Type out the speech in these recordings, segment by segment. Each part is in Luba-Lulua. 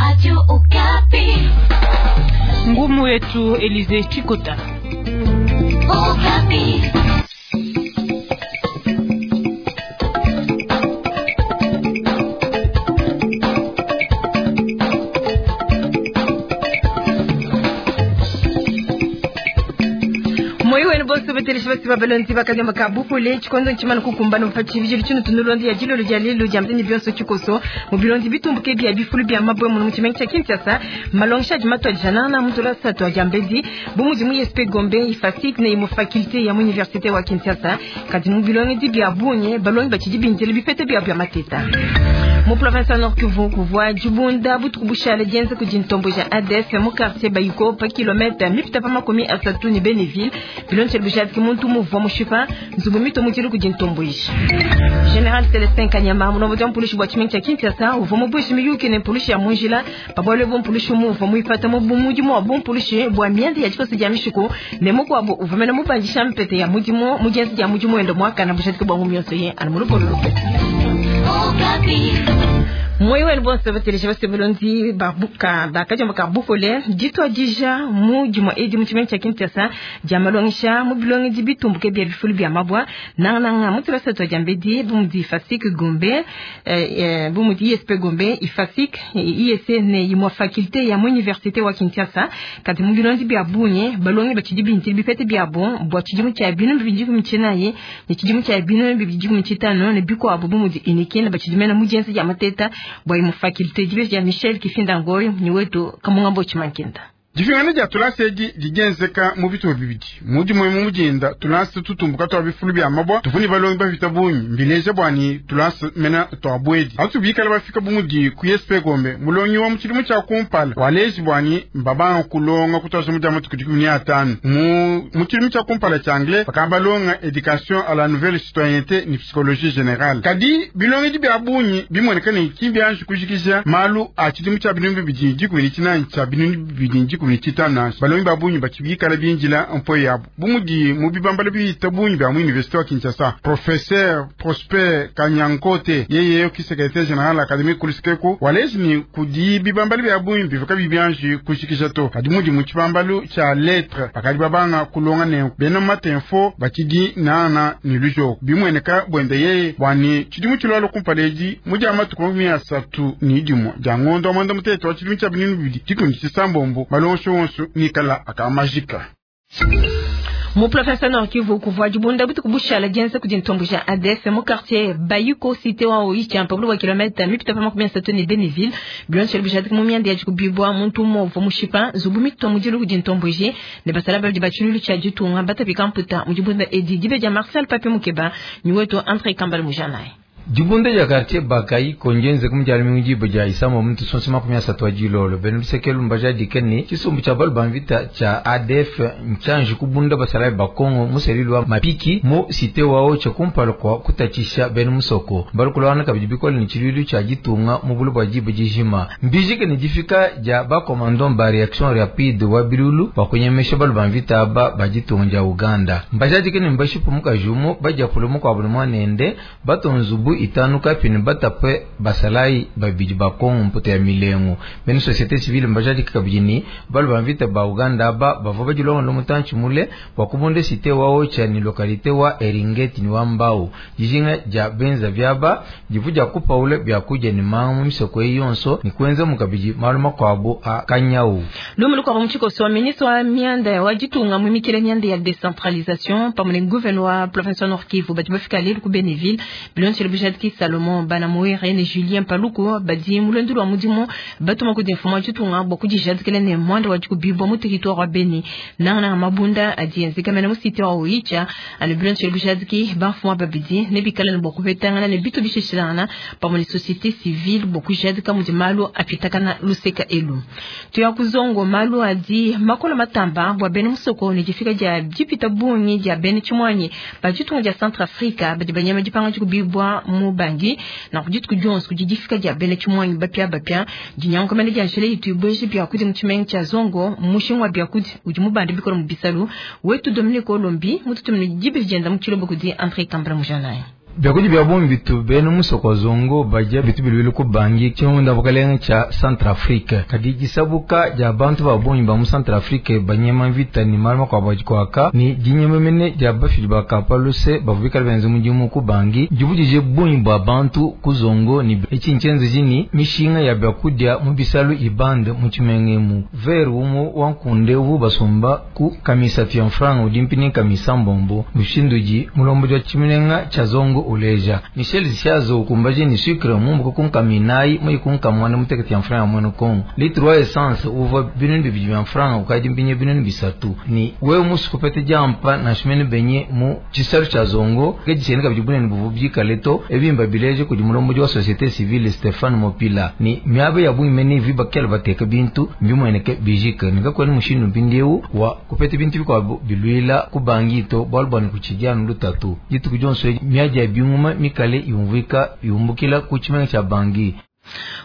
Radio Okapi. Ngumu yetu Elize Chikota. Okapi. Moyo wenu bonso beteleshi basi babalonzi bakanyama ka bupole tshikondo ntshimana kukumbana mupatshi bijili tshino tunulondi ya jilolo dia lelu dia mtini bionso tshikoso mu bilondi bitumbuke bia bifulu bia mabwe muno mu tshimenga tshia Kinshasa malongesha adi matua janana mutula satu adia mbedi bu mudi mu ISP Gombe ifasik ne mu faculté ya mu université wa Kinshasa kadi mu bilongedi bia bunye balongi batshidi bindile bipete bia bia mateta mu province ya Nord Kivu kuvua dibunda butuku bushale dienza kudi ntombo ja ADF mu quartier Bayiko pa kilomètre mipita pa 30 ne Beneville bilonshele bujadiki muntu muvua mushipa nzubu mito mudilu kudi ntombo ishi. General Celestin Kanyama mulombodi wa mpulushi bua tshimenga tshia Kinshasa uvua mubueshi miyuki ne mpulushi ya munjila pa bualu ebu mpulushi muvua muipata mu mudimu wa bumpulushi bua mianda ya dikosa dia mishiku ne mukuabu uvua mene mubandisha mpete ya mudimu mu dienza dia mudimu wende muakana bujadiki bua ngumi yonso ye anu mulupolo lupe. Okapi. Moyo wenu bonso bateleja basebelondi babuka bakajamba ka bukole ditwadija mu dimua edi mu tshimenga tshia Kinshasa dia malongesha mu bilongedi bitumbuke bia bifulu bia mabwa nangananga mu tulasa tua dia mbedi bu mudi Ifasik Gombe bu mudi ISP Gombe Ifasik ISC ne imua faculté ya mu université wa Kinshasa kadi mu bilondi bia bunye balongi batshidi bintili bipete biabo bua tshidimu tshia 2024 ne tshidimu tshia 2025 ne bikuabu bu mudi Unikin batshidi mena mu dienza dia mateta bua imu faculté dibe dia Michel Kifinda Ngoy ni wetu kamungambo chimankinda. Difingana dia tulasa edi didienzeka mu bitupa bibidi mudimu emu mudinda tulasa tutumbuka tua bifulu bia mabwa tuvuni balongi bafita bungi mbileja bwani tulasa mena tua bwedi atu bikala bafika bumudi ku ISP Gombe mulongi wa mutshidimu tshia kumpala waleji bwani mbabanga kulonga kutwasa mudia matuku 15 mu mutshidimu tshia kumpala tshia anglais bakabalonga éducation à la nouvelle citoyenneté ni psychologie générale kadi bilongedi bia bungi bimueneka ne kimbianji kujikija malu a tshidimu tshia 2029 tshia 2025 balongi ba bungi batshibikala binjila mpo yabo bumudi mu bibambala biyita bungi bia mu université wa Kinshasa professeur Prosper Kanyankote yeye ki secrétaire général académique kulusikeku walezi ni kudi bibambala bia bungi bivuka bibianji kushikisha to kadi mudi mu tshibambalu tshia lettre bakadi babanga kulonga ne bena matinfo batshidi nana ni lujoko bimueneka bwende yeye bwani tshidimu tshilwalo kumpala edi mudi amatuku 31 dia ngondo wa mwanda mutete wa tshidimu tshia 2026 malongo wonso nikala akamajika. Mu province Nord Kivu kuvua dibunda butuku bushala dienza kudi ntombo ja ADF mu quartier Bayuko cité wa Oicha pa bulu wa kilomètre mipita pa 30 ne Beneville bilonshele bujadiki mu mianda ya dikubibwa muntu umue uvua mushipa nzubu mitua mudilu kudi ntombo je ne basala babidi ba tshilulu tshia ditunga batapika mputa mu dibunda edi dibe dia Marcel Papi Mukeba ni wetu Andre Kambale Mujanayi. Dibunda dia quartier Bakai konjenze kumujali mingi dia isama muntu sonse 30 wa jilolo benu lusekelu mbaja dikeni chisumbu cha balu banvita cha ADF nchanji kubunda basala bakongo muselilu wa mapiki mu site wao cha kumpala kwa kutachisha benu musoko balukulwana kabidi bikole ni chilulu cha jitunga mu bulu bwa jibu jijima mbijike ni jifika ja ba commandant ba reaction rapide wa bilulu bakunyemesha balu banvita aba bajitunga ja Uganda mbaja dikeni mbashipu mukajumu baja kulumu kwa bulu mwanende batonzubu itanu kapini batapwe basalayi babidi bakongo mputa ya milengo bene société civile mbajadika kabidi balu bamvita ba Uganda aba bava badilonga lomutanchi mule bakubonde cité wao cha ni localité wa Eringeti ni wambao jijinga ja benza vyaba jivu ja kupaule bya kuja ni mangu misoko yonso ni kwenza mukabiji maluma kwabo a kanyau Lumulu kwa mchiko so ministre wa mianda wa jitunga mwimikile mianda ya décentralisation pamwe gouverneur wa province Nord Kivu bati bafika lelo ku Beneville bilonshele bujadiki Salomon Banamuere ne Julien Paluku badi mulondu wa mudimu batuma ku d'informa jitunga bwa kujijadikile ne mwanda wa jikubibwa mu territoire wa Beni nangana mabunda adi enzeka mena mu cité wa Oicha ane bilonshele bujadiki bafuma babidi ne bikala ne bwa kupetangana ne bitu bishishilana pamwe ne société civile bwa kujadika mudi malu apitakana luseka elu tuya kuzongo malu adi makola matamba bwa bene musoko ne jifika dia jipita bungi dia bene chimwanyi ba jitunga dia Centrafrica badi banyama jipanga jikubibwa mu Bangi na kujituku jonso kujifika dia bene chimwanyi bapya bapya dinyango mene dia nshele itu ibweje bya kudi mu chimenga cha zongo mushingwa bya kudi udi mubandi bikora mu bisalu wetu Dominique Olombi mututumine jibi jenda mu chilobo kudi André Kambala Mujanayi. Biakudi bia bungi bitu bena musoko wa Zongo badia bitu biluile ku Bangui, tshimunda bukalenge tshia Centrafrique. Kadi disabuka dia bantu ba bungi ba mu Centrafrique banyema mvita ne malu makuabu adi kuaka ne dinyema mene dia bafidi ba ka pa luse bavua bikale benza mudimu ku Bangui ndivudije bungi bua bantu ku Zongo ne etshi ntshienzeji ne mishinga ya biakudia mu bisalu ibande mu tshimenga emu. Vere umue wa nkunde uvu basomba ku kamisatu ya mfranga udi mpini kamisa mbombo mushindu udi mulombodi wa tshimenga tshia Zongo uleja. Michel Ziazo ukumbaje ni sucre mumbuka ku nkaminayi muyi ku nkamwana mutekete ya mfranga mwenu Kongo. Litre wa essence uvua binunu bibidi bya mfranga ukadi mpinye binunu bisatu. Ni wewe musu kupete jampa na shimene benye mu tshisalu tshia Zongo ke dishene kabidi bunene buvu bikale to ebimba bileje kudi mulombodi wa société civile Stéphane Mopila. Ni miaba ya bungi mene viba kele bateka bintu mbimweneke bijike nikakwena mushindu mpindieu wa kupete bintu bikuabu bilwila ku Bangui to bualu bua kutshidia lutatu dituku dionso miadi ya binguma mikale yumvuika yumbukila ku tshimenga tshia Bangui.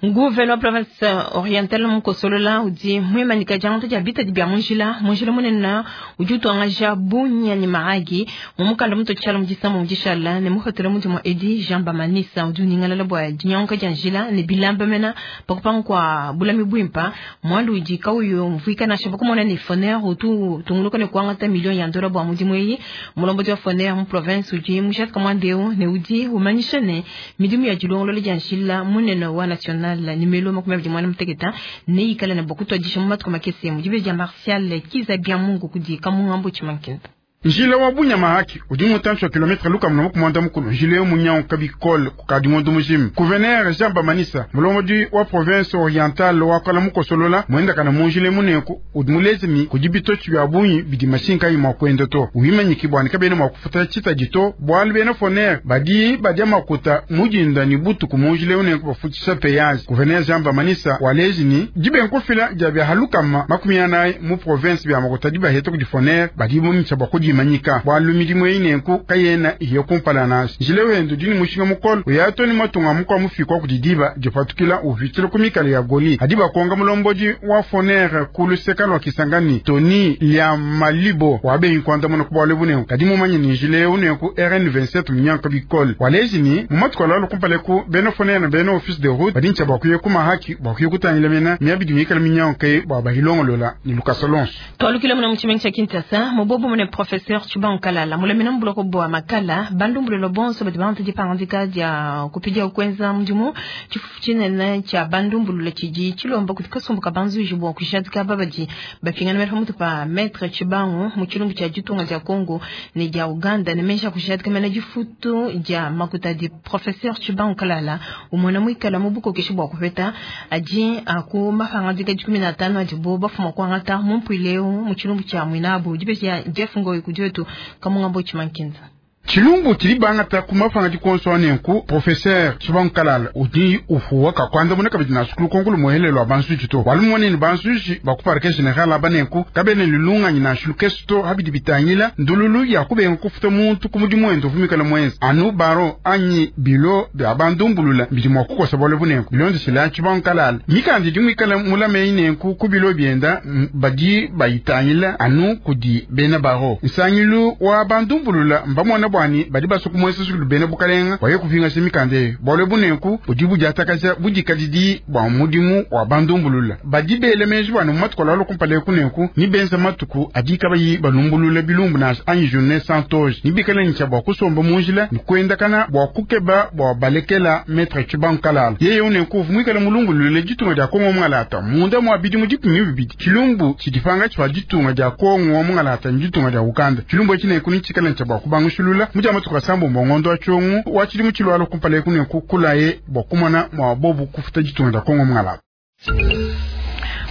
Gouverneur wa province orientale mukosolola udi mwimanyika diangata dia bitadi bia munjila munjila munene udi utuangaja Bunia ne Mahagi mu mukanda muto tshiala mu disamba mu dishala ne muhotela mudimu edi Jean Bamanisa udi uningalala bua dinyanguka dia njila ne bilamba mena pakupanga kua bulami buimpa mwandu udi kauyo mvuika nansha pakumona ne FONER utu tunguluka ne kuangata million ya ndola bua mudimu eyi mulombodi wa FONER mu province udi mushatika mwandeo ne udi umanyisha ne midimu ya dilongolola dia njila munene wa national nimelo 28 ne ikala na bokutwadisha mu matuku makese mu dibe dia Martial Kiza bia Mungu kudi kamungambo chimankinda. Njila wa Bunia Mahagi udi mutantshi wa kilometre lukama na mukumwanda mukulu njila yo munyanguka bikole kukadi ngondo mujima. Gouverneur Jean Bamanisa mulombodi wa province orientale wakala mukosolola mwendakana munjila munenku udi mulezemi kudi bitotshi bia bungi bidi mashinka yi mua kuenda to wimanyiki bua kabena mua kufuta tshitadi to bualu bena FONER badi badia makuta mudinda ni butuku munjila munenku bafutshisha péage. Gouverneur Jean Bamanisa waleji ni dibenkufila dia bia halukama 40 mu province bia makuta dibaheta kudi FONER badi bumitsha bua kudima manyika bwalu midimu eyi nenku kayena iyo kumpala nasi njila wendo dini mushinga mukolo uyatoni matunga mukwa mufikwa kudi diba dipatukila uvitila ku mikala ya goli adi bakonga mulombodi wa FONER ku luseka lwa Kisangani Tony lya Malibo wabenyi kuandamuna ku bwalu bunenku kadi mumanye ni njila ewu nenku RN27 munyanka bikole waleji ni mumatuku alalo kumpala ku bena FONER na bena office de route badi ntsha bwakuye ku mahaki bwakuye kutangila mena miabidi mikala minyanka ye bwa bahilongolola ni Lukasolonso. Twalukile muna mutshimenga tsha Kinshasa mubobo mune professeur Tshibangu Kalala mulemena mbuloko bwa makala bandumbulelo bonso badi bantu dipangandika dia kupidia ukwenza mudimu tshifufu tshinene tsha bandumbulula tshidi tshilomba kuti kasumbuka banzuji bwa kushadika babadi bapingana mela pamutu pa maître Tshibangu mu tshilumbu tshia ditunga dia Congo ne dia Uganda ne mesha kushadika mena difutu dia makuta di professeur Tshibangu Kalala umona muikala mu bukokeshi bwa kupeta adi aku mapangandika 15 adibo bafuma kwangata mumpwileu mu tshilumbu tshia mwinabu dibeja Jeff Ngoyi kudietu kamungambo chimankinza. Tshilumbu tshili bangata ku mafanga dikonso anenku professeur Tshibangu Kalala udi ufuwa kakwandamuna kabidi na sukulu konkulu muhelelo wa bansuji to walu monene bansuji baku parquet général abanenku kabene lilunganyi na shulukesu to habidi bitangila ndululu ya kubenga kufuta muntu ku mudimu wende uvumikala mwenzi anu baro anyi bilo bya bandumbulula bidi mua kukosa bwale bunenku bilondeshela Tshibangu Kalala mikandi dimwikala mulameyi nenku ku bilo byenda badi bayitangila anu kudi bena baro nsangilu wa bandumbulula mbamona bwani badi basuku mwese sukulu bena bukalenga waye kupingasha mikande bwale bunenku budi budiatakaja budikadidi bwa mudimu wa bandumbulula badi bele meji bwana mu matuku alalo kumpala kunenku ni benza matuku adi kabayi balumbulula bilumbu na anyi journée sans toge ni bikala ncha bwa kusomba munjila ni kwendakana bwa kukeba bwa balekela maître Tshibangu Kalala yeye unenku vumwikala mulumbulule ditunga dia Kongo mungalata munda mwa bidimu dikumi bibidi tshilumbu tshidipanga tshwa ditunga dia Kongo mungalata ni ditunga dia Uganda tshilumbu tshinenku ni tshikala ncha bwa kubangushulula muja matuku asambo mbongondo wa chongu wa tshilimu tshilwalo kumpala kunenku kulaye bwa kumona mwa bobu kufuta ditunga dia Kongo mungalata.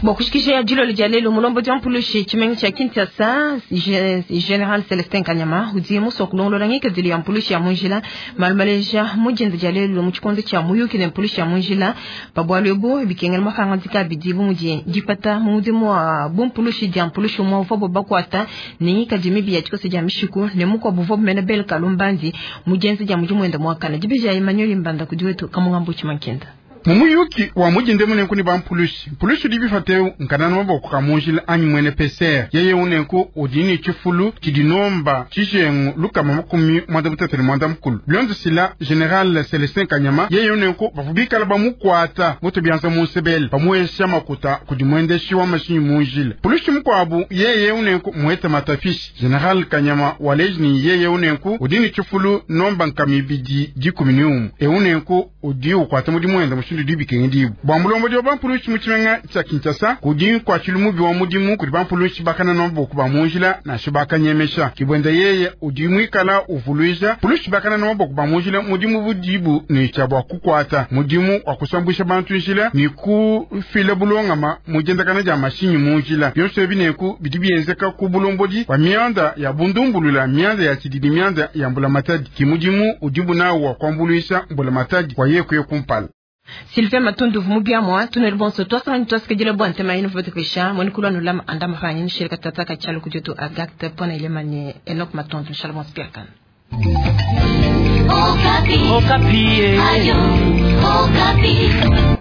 Bokushikisha ya jilo lijalelo mulombo wa mpulushi chimengi cha Kinshasa General Celestin Kanyama udi muso kulongolola ngikadili ya mpulushi ya munjila malumaleja mujenzi jalelo mu tshikondo tshia muyuki ne mpulushi ya munjila pabwalwebo bikengela mafangandika bidi bumudi dipata mu mudimu wa bumpulushi dia mpulushi umwe uvua bakwata ne ngikadi mibi ya tshikoso dia mishiku ne mukwa buvua bumene bel kalumbandi mujenzi dia mudimu wenda mwakana dibeja Emmanuel Mbanda kudi wetu kamungambo chimankenda. Mu muyuki wa mudinde munenku ne bampulushi, mpulushi udi bipateu nkanana maboko ka munjila anyi mwene PCR. Yeye unenku udi ne tshifulu tshidi nomba tshijengu 231. Bilondeshila General Celestin Kanyama, yeye unenku bavua bikala bamukuata mutu bianza munsebele bamuesha makuta kudi mwendeshi wa mashinyi munjila. Pulushi mukuabu yeye unenku muete matafishi. General Kanyama waleji ni yeye unenku udi ne tshifulu nomba 211. Eunenku udi ukwata mudimu wenda mushindu dibikengidibu bwa mulombodi wa bampulushi mu tshimenga tshia Kinshasa kudi nkuatshilu mubi wa mudimu kudi bampulushi bakana maboko ba munjila nansha bakanyemesha. Kibwenda yeye udi mwikala uvuluija pulushi bakana maboko ba munjila mudimu budibu ne tshia bua kukwata mudimu wa kusambwisha bantu njila ni kufila bulongama mujendakana dia mashinyi munjila. Byonso ebi neku bidi bienzeka ku bulombodi wa mianda ya bundumbulula mianda ya tshididi mianda ya mbulamatadi ki mudimu udibu nawo wa kuambuluisha mbulamatadi wa yekuye kumpala. Sylvain Matundu mubiamwa tunel bonso twasanga twasikejela bwa ntema ino vote pesha moni kulwa nulama andama fanyi nshirika tata ka chalo kujutu agakte pona ilemane Enoch Matundu nshalom spiakan. Okapi. Okapi. Ayo, Okapi.